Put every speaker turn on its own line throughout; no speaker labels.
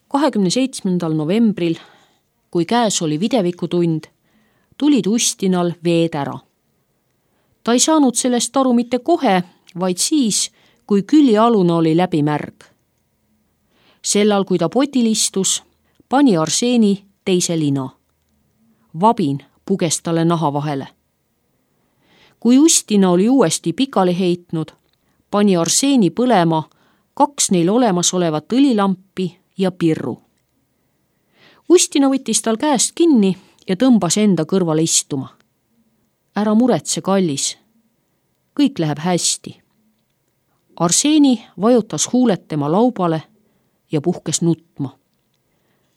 27. novembril, kui käes oli videvikutund, tulid Ustinal veed ära. Ta ei saanud sellest aru mitte kohe, vaid siis, kui küljealune oli läbi märg. Sellal, kui ta potil istus, pani Arseni teise lina. Vabin puges talle naha vahele. Kui Ustina oli uuesti pikali heitnud, pani Arseni põlema 2 neil olemasolevat õlilampi ja pirru. Ustina võttis tal käest kinni ja tõmbas enda kõrvale istuma. Ära muretse, kallis. Kõik läheb hästi. Arseni vajutas huuled tema laubale ja puhkes nutma.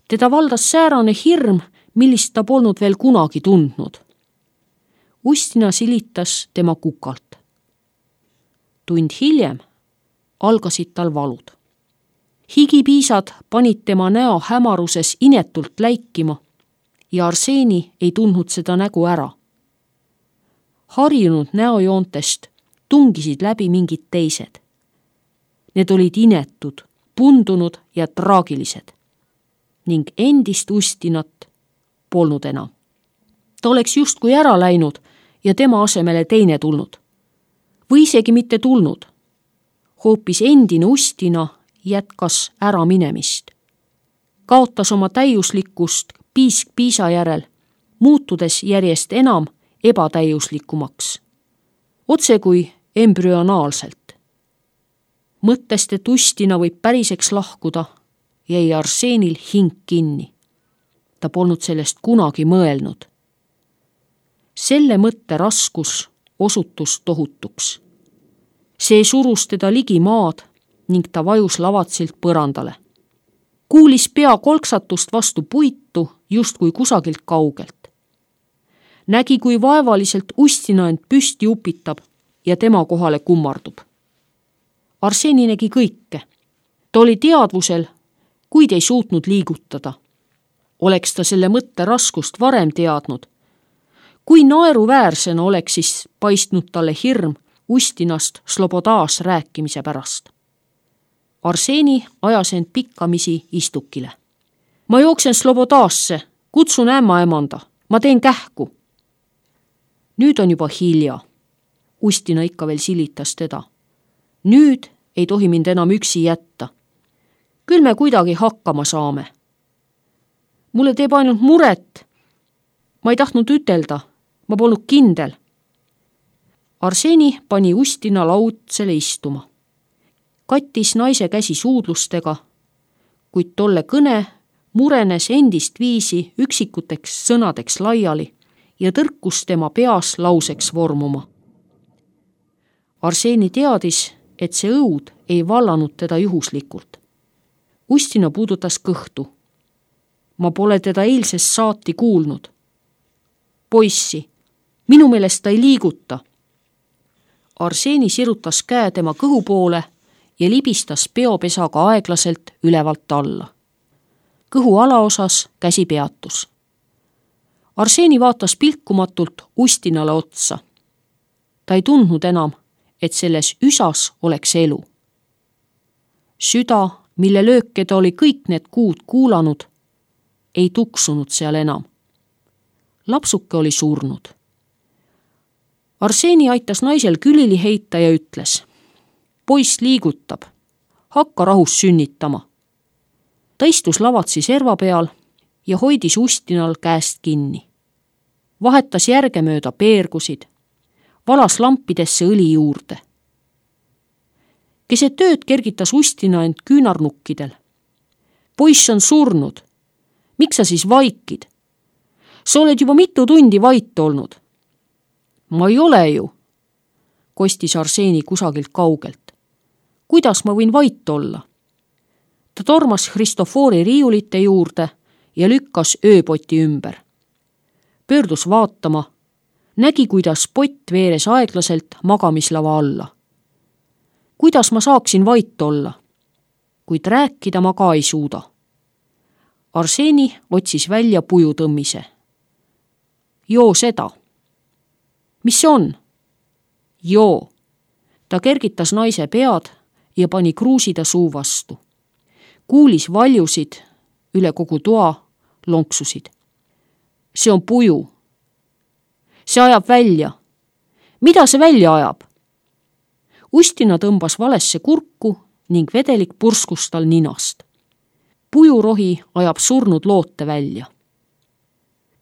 Teda valdas säärane hirm, millist ta polnud veel kunagi tundnud. Ustina silitas tema kukalt. Tund hiljem algasid tal valud. Higipiisad panid tema näo hämaruses inetult läikima ja Arseni ei tundnud seda nägu ära. Harjunud näojoontest tungisid läbi mingid teised. Need olid inetud, pundunud ja traagilised ning endist Ustinat polnud enam. Ta oleks justkui ära läinud ja tema asemele teine tulnud. Või isegi mitte tulnud. Hoopis endine Ustina jätkas ära minemist. Kaotas oma täiuslikkust piisk piisa järel, muutudes järjest enam ebatäiuslikumaks. Otse kui embrüonaalselt. Mõttest, et Ustina võib päriseks lahkuda, jäi Arsenil hing kinni. Ta polnud sellest kunagi mõelnud. Selle mõtte raskus osutus tohutuks. See surus teda ligi maad ning ta vajus lavatsilt põrandale. Kuulis pea kolksatust vastu puitu justkui kusagilt kaugelt. Nägi, kui vaevaliselt Ustina end püsti upitab ja tema kohale kummardub. Arseni nägi kõike. Ta oli teadvusel, kuid ei suutnud liigutada. Oleks ta selle mõtte raskust varem teadnud. Kui naeruväärsena oleks siis paistnud talle hirm Ustinast Slobodaas rääkimise pärast. Arseni ajas end pikkamisi istukile. Ma jooksen Slobodaasse, kutsun ämmaemanda, ma teen kähku. Nüüd on juba hilja. Ustina ikka veel silitas teda. Nüüd ei tohi mind enam üksi jätta. Küll me kuidagi hakkama saame. Mulle teeb ainult muret. Ma ei tahtnud ütelda, ma polnud kindel. Arseni pani Ustina laudsele istuma. Kattis naise käsi suudlustega, kuid tolle kõne murenes endist viisi üksikuteks sõnadeks laiali ja tõrkus tema peas lauseks vormuma. Arseni teadis, et see õud ei vallanud teda juhuslikult. Ustina puudutas kõhtu. Ma pole teda eilsest saati kuulnud. Poissi, minu meelest ta ei liiguta. Arseni sirutas käe tema kõhu poole ja libistas peopesaga aeglaselt ülevalt alla. Kõhu alaosas käsi peatus. Arseni vaatas pilkumatult Ustinale otsa. Ta ei tundnud enam, et selles üsas oleks elu. Süda, mille lööke ta oli kõik need kuud kuulanud, ei tuksunud seal enam. Lapsuke oli surnud. Arseni aitas naisel külili heita ja ütles: Poiss liigutab, hakka rahus sünnitama. Ta istus lavatsi serva peal ja hoidis Ustinal käest kinni. Vahetas järgemööda peergusid, valas lampidesse õli juurde. Keset tööd kergitas Ustina end küünarnukkidel. Poiss on surnud. Miks sa siis vaikid? Sa oled juba mitu tundi vait olnud. Ma ei ole ju, kostis Arseni kusagilt kaugelt. Kuidas ma võin vait olla? Ta tormas Kristofori riiulite juurde ja lükkas ööpoti ümber. Pöördus vaatama, nägi, kuidas pott veeres aeglaselt magamislava alla. Kuidas ma saaksin vait olla? Kuid rääkida ma ka ei suuda. Arseni otsis välja pujutõmmise. Joo seda. Mis see on? Joo. Ta kergitas naise pead ja pani kruusida suu vastu. Kuulis valjusid, üle kogu toa lonksusid. See on puju. See ajab välja. Mida see välja ajab? Ustina tõmbas valesse kurku ning vedelik purskus tal ninast. Pujurohi ajab surnud loote välja.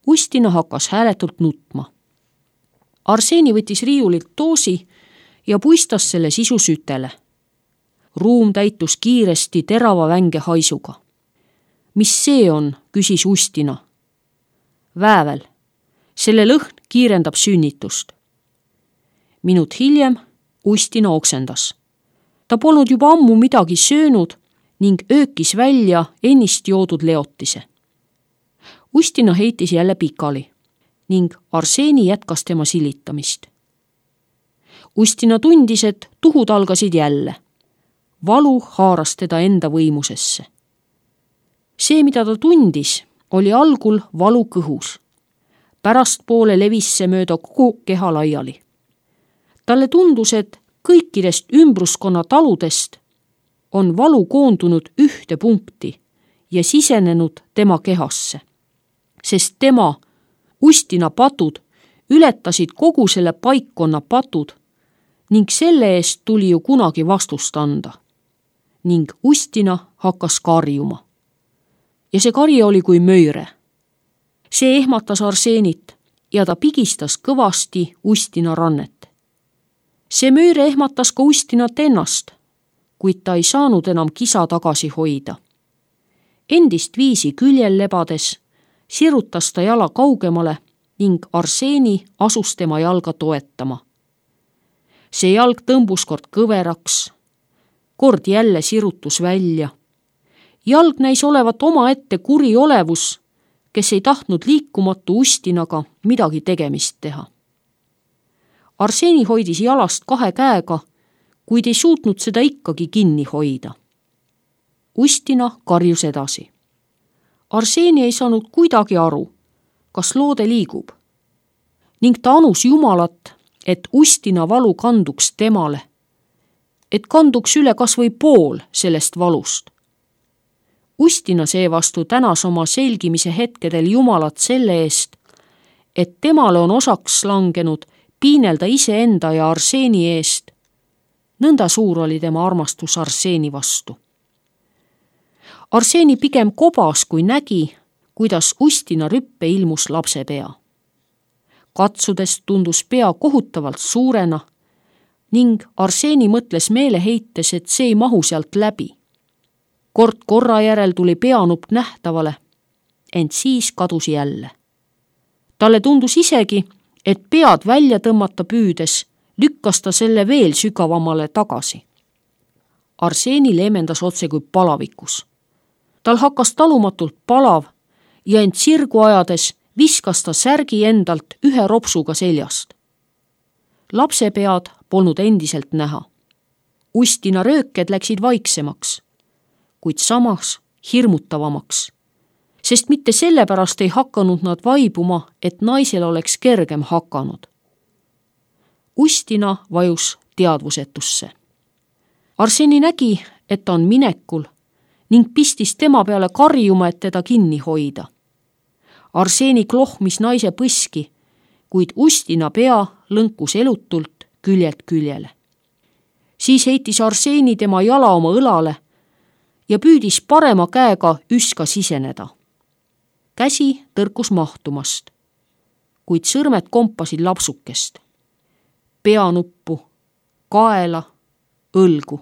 Ustina hakkas hääletult nutma. Arseni võttis riiulilt doosi ja puistas selle sisu sütele. Ruum täitus kiiresti terava vänge haisuga. Mis see on, küsis Ustina. Väävel. Selle lõhn kiirendab sünnitust. Minut hiljem Ustina oksendas. Ta polnud juba ammu midagi söönud ning öökis välja ennist joodud leotise. Ustina heitis jälle pikali ning Arseni jätkas tema silitamist. Ustina tundis, et tuhud algasid jälle. Valu haaras teda enda võimusesse. See, mida ta tundis, oli algul valu kõhus. Pärastpoole levis see mööda kogu keha laiali. Talle tundus, et kõikidest ümbruskonna taludest on valu koondunud ühte punkti ja sisenenud tema kehasse, sest tema, Ustina patud, ületasid kogu selle paikkonna patud ning selle eest tuli ju kunagi vastust anda. Ning Ustina hakkas karjuma. Ja see karje oli kui möire. See ehmatas Arsenit ja ta pigistas kõvasti Ustina rannet. See möire ehmatas ka Ustinat ennast, kuid ta ei saanud enam kisa tagasi hoida. Endist viisi küljel lebades sirutas ta jala kaugemale ning Arseni asus tema jalga toetama. See jalg tõmbus kord kõveraks, kord jälle sirutus välja. Jalg näis olevat omaette kuri olevus, kes ei tahtnud liikumatu Ustinaga midagi tegemist teha. Arseni hoidis jalast 2 käega, kuid ei suutnud seda ikkagi kinni hoida. Ustina karjus edasi. Arseni ei saanud kuidagi aru, kas loode liigub. Ning ta anus Jumalat, et Ustina valu kanduks temale, et kanduks üle kas või pool sellest valust. Ustina seevastu tänas oma selgimise hetkedel Jumalat selle eest, et temale on osaks langenud piinelda iseenda ja Arseni eest. Nõnda suur oli tema armastus Arseni vastu. Arseni pigem kobas, kui nägi, kuidas Ustina rüppe ilmus lapse pea. Katsudest tundus pea kohutavalt suurena ning Arseni mõtles meeleheites, et see ei mahu sealt läbi. Kord korra järel tuli peanupp nähtavale, ent siis kadus jälle. Talle tundus isegi, et pead välja tõmmata püüdes lükkas ta selle veel sügavamale tagasi. Arseni leemendas otse kui palavikus. Tal hakkas talumatult palav ja end sirgu ajades viskas ta särgi endalt 1 ropsuga seljast. Lapse pead polnud endiselt näha. Ustina rööked läksid vaiksemaks, kuid samas hirmutavamaks, sest mitte sellepärast ei hakanud nad vaibuma, et naisel oleks kergem hakanud. Ustina vajus teadvusetusse. Arseni nägi, et ta on minekul ning pistis tema peale karjuma, et teda kinni hoida. Arseni klohmis naise põski, kuid Ustina pea lõnkus elutult küljelt küljele. Siis heitis Arseni tema jala oma õlale ja püüdis parema käega üska siseneda. Käsi tõrkus mahtumast, kuid sõrmed kompasid lapsukest. Peanuppu, kaela, õlgu.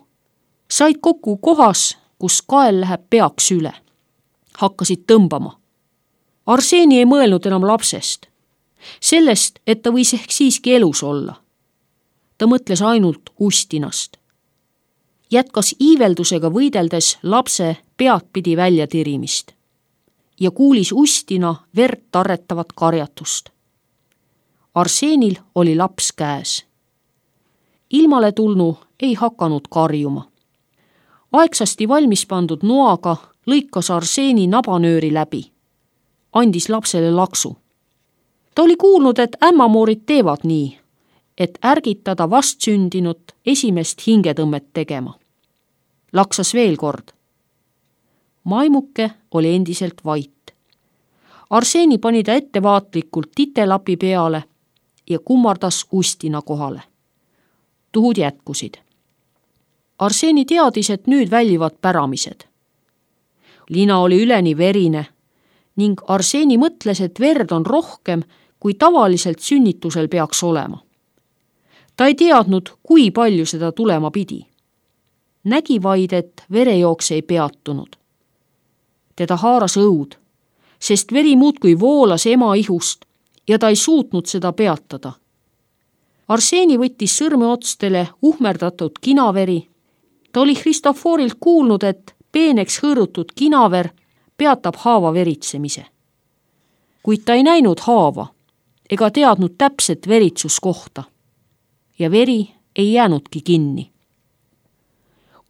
Said kokku kohas, kus kael läheb peaks üle. Hakkasid tõmbama. Arseni ei mõelnud enam lapsest. Sellest, et ta võis ehk siiski elus olla. Ta mõtles ainult Ustinast. Jätkas iiveldusega võideldes lapse peadpidi välja tirimist ja kuulis Ustina verd tarretavat karjatust. Arsenil oli laps käes. Ilmale tulnu ei hakanud karjuma. Aegsasti valmis pandud noaga lõikas Arseni nabanööri läbi. Andis lapsele laksu. Ta oli kuulnud, et ämmamoorid teevad nii, et ärgitada vastsündinut esimest hingetõmmet tegema. Laksas veel kord. Maimuke oli endiselt vait. Arseni pani ta ettevaatlikult titelapi peale ja kummardas Ustina kohale. Tuhud jätkusid. Arseni teadis, et nüüd väljivad päramised. Lina oli üleni verine ning Arseni mõtles, et verd on rohkem, kui tavaliselt sünnitusel peaks olema. Ta ei teadnud, kui palju seda tulema pidi. Nägi vaid, et verejooks ei peatunud. Teda haaras õud, sest veri muudkui voolas ema ihust ja ta ei suutnud seda peatada. Arseni võttis sõrmeotstele uhmerdatud kinaveri. Ta oli Christoforilt kuulnud, et peeneks hõõrutud kinaver peatab haava veritsemise. Kuid ta ei näinud haava ega teadnud täpset veritsuskohta ja veri ei jäänudki kinni.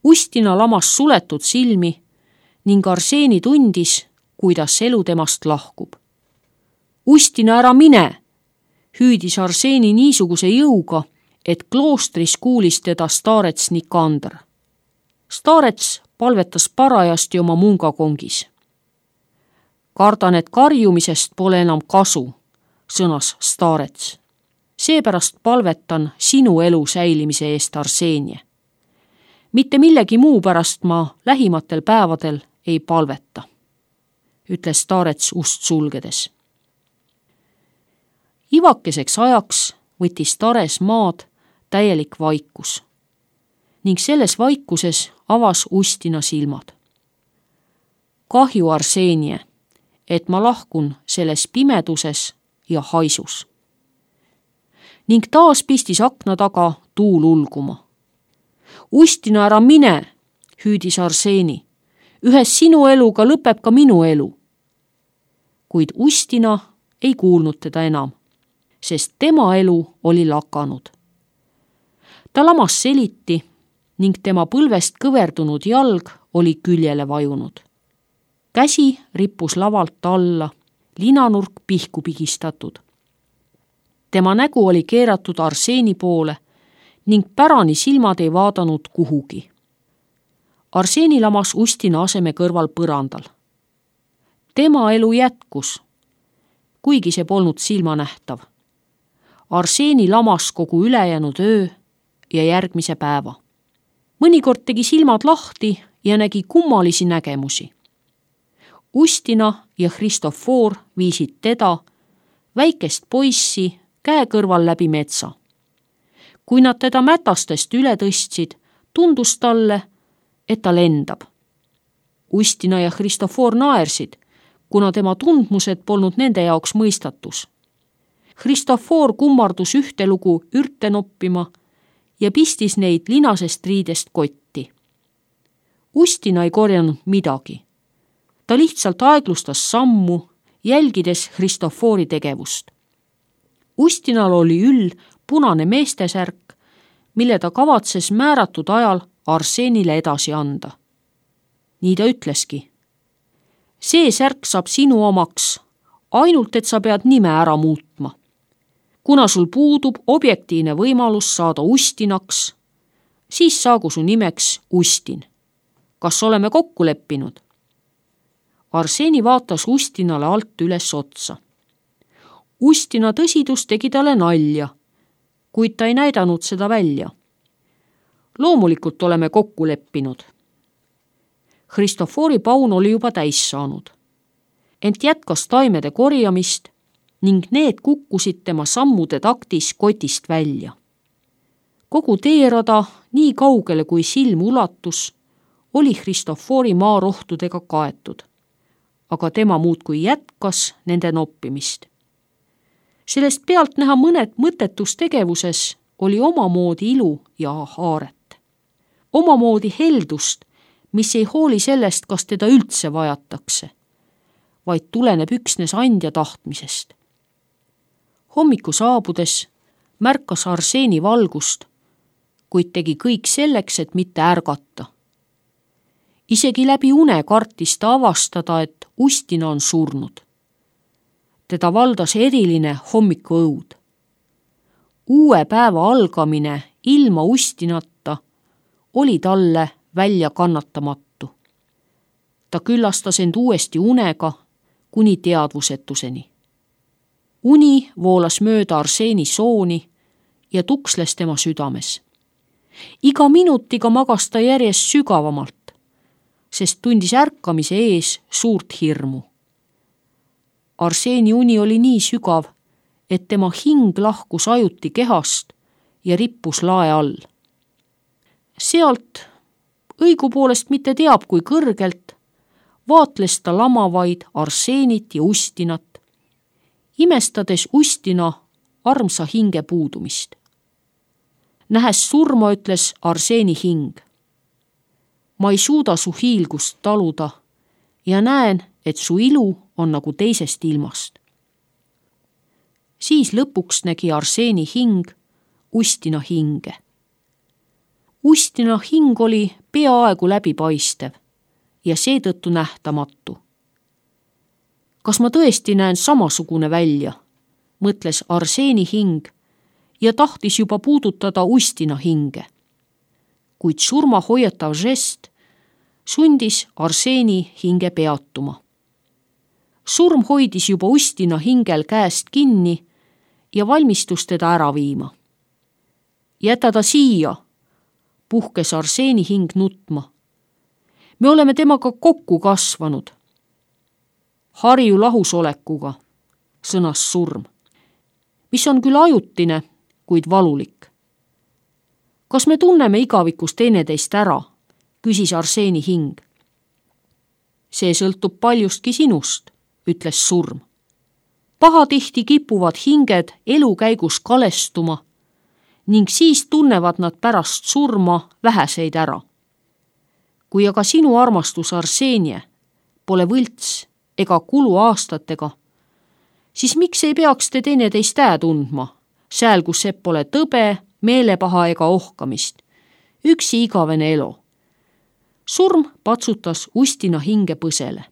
Ustina lamas suletud silmi ning Arseni tundis, kuidas elu temast lahkub. Ustina, ära mine, hüüdis Arseni niisuguse jõuga, et kloostris kuulis teda staarets Nikander. Staarets palvetas parajasti oma mungakongis. Kardan, et karjumisest pole enam kasu, sõnas staarets. Seepärast palvetan sinu elu säilimise eest, Arsenie. Mitte millegi muu pärast ma lähimatel päevadel ei palveta, ütles staarets ust sulgedes. Ivakeseks ajaks võttis tares maad täielik vaikus ning selles vaikuses avas Ustina silmad. Kahju, Arsenie, et ma lahkun selles pimeduses ja haisus. Ning taas pistis akna taga tuul ulguma. Ustina, ära mine, hüüdis Arseni. Ühes sinu eluga lõpeb ka minu elu. Kuid Ustina ei kuulnud teda enam, sest tema elu oli lakanud. Ta lamas seliti ning tema põlvest kõverdunud jalg oli küljele vajunud. Käsi rippus lavalt alla, linanurk pihku pigistatud. Tema nägu oli keeratud Arseni poole ning pärani silmad ei vaadanud kuhugi. Arseni lamas Ustina aseme kõrval põrandal. Tema elu jätkus, kuigi see polnud silmanähtav. Arseni lamas kogu ülejäänud öö ja järgmise päeva. Mõnikord tegi silmad lahti ja nägi kummalisi nägemusi. Ustina ja Christofor viisid teda, väikest poissi, käe kõrval läbi metsa. Kui nad teda mätastest üle tõstsid, tundus talle, et ta lendab. Ustina ja Christofor naersid, kuna tema tundmused polnud nende jaoks mõistatus. Christofor kummardus ühte lugu ürte noppima ja pistis neid linasest riidest kotti. Ustina ei korjanud midagi. Ta lihtsalt aeglustas sammu, jälgides Christofori tegevust. Ustinal oli üll punane meestesärk, mille ta kavatses määratud ajal Arsenile edasi anda. Nii ta ütleski. See särk saab sinu omaks, ainult et sa pead nime ära muutma. Kuna sul puudub objektiivne võimalus saada Ustinaks, siis saagu su nimeks Ustin. Kas oleme kokku leppinud? Arseni vaatas Ustinale alt üles otsa. Ustina tõsidus tegi talle nalja, kuid ta ei näidanud seda välja. Loomulikult oleme kokku leppinud. Christofori paun oli juba täis saanud. Ent jätkas taimede korjamist ning need kukkusid tema sammude taktis kotist välja. Kogu teerada, nii kaugele kui silm ulatus, oli Christofori maarohtudega kaetud, aga tema muudkui jätkas nende noppimist. Sellest pealt näha mõned mõttetus tegevuses oli omamoodi ilu ja haaret. Omamoodi heldust, mis ei hooli sellest, kas teda üldse vajatakse, vaid tuleneb üksnes andja tahtmisest. Hommiku saabudes märkas Arseni valgust, kuid tegi kõik selleks, et mitte ärgata. Isegi läbi une kartis ta avastada, et Ustina on surnud. Teda valdas eriline hommikuõud. Uue päeva algamine ilma Ustinata oli talle välja kannatamatu. Ta küllastas end uuesti unega kuni teadvusetuseni. Uni voolas mööda Arseeni sooni ja tuksles tema südames. Iga minutiga magas ta järjest sügavamalt, sest tundis ärkamise ees suurt hirmu. Arseeni uni oli nii sügav, et tema hing lahkus ajuti kehast ja rippus lae all. Sealt, õigupoolest mitte teab kui kõrgelt, vaatles ta lamavaid Arseenit ja Ustinat, imestades Ustina armsa hinge puudumist. Nähes surma, ütles Arseeni hing. Ma ei suuda su hiilgust taluda ja näen, et su ilu on nagu teisest ilmast. Siis lõpuks nägi Arseeni hing Ustina hinge. Ustina hing oli peaaegu läbipaistev ja seetõttu nähtamatu. Kas ma tõesti näen samasugune välja, mõtles Arseeni hing ja tahtis juba puudutada Ustina hinge. Kuid surma hoiatav žest sundis Arseeni hinge peatuma. Surm hoidis juba Ustina hingel käest kinni ja valmistus teda ära viima. Jäta ta siia, puhkes Arseeni hing nutma. Me oleme temaga kokku kasvanud. Harju lahusolekuga, sõnas surm, mis on küll ajutine, kuid valulik. Kas me tunneme igavikus teineteist ära, küsis Arseeni hing. See sõltub paljustki sinust, ütles surm. Pahatihti kipuvad hinged elu käigus kalestuma ning siis tunnevad nad pärast surma väheseid ära. Kui aga sinu armastus Arseenie pole võlts ega kulu aastatega, siis miks ei peaks te teineteist tundma, sääl kus see pole tõbe, meelepaha ega ohkamist, üksi igavene elu. Surm patsutas Ustina hinge põsele.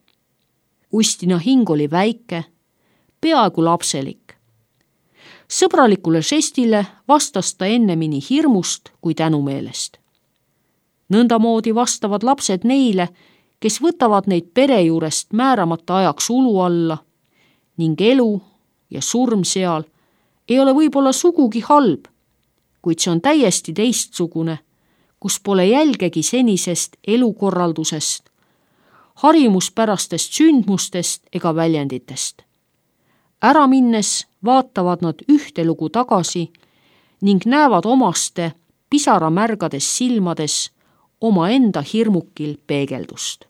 Ustina hing oli väike, peaaegu lapselik. Sõbralikule žestile vastas ta ennemini hirmust kui tänumeelest. Nõndamoodi vastavad lapsed neile, kes võtavad neid pere juurest määramata ajaks ulu alla ning elu ja surm seal ei ole võib-olla sugugi halb, kuid see on täiesti teistsugune, kus pole jälgegi senisest elukorraldusest, harjumuspärastest sündmustest ega väljenditest. Ära minnes vaatavad nad ühte lugu tagasi ning näevad omaste pisaramärgades silmades omaenda hirmukil peegeldust.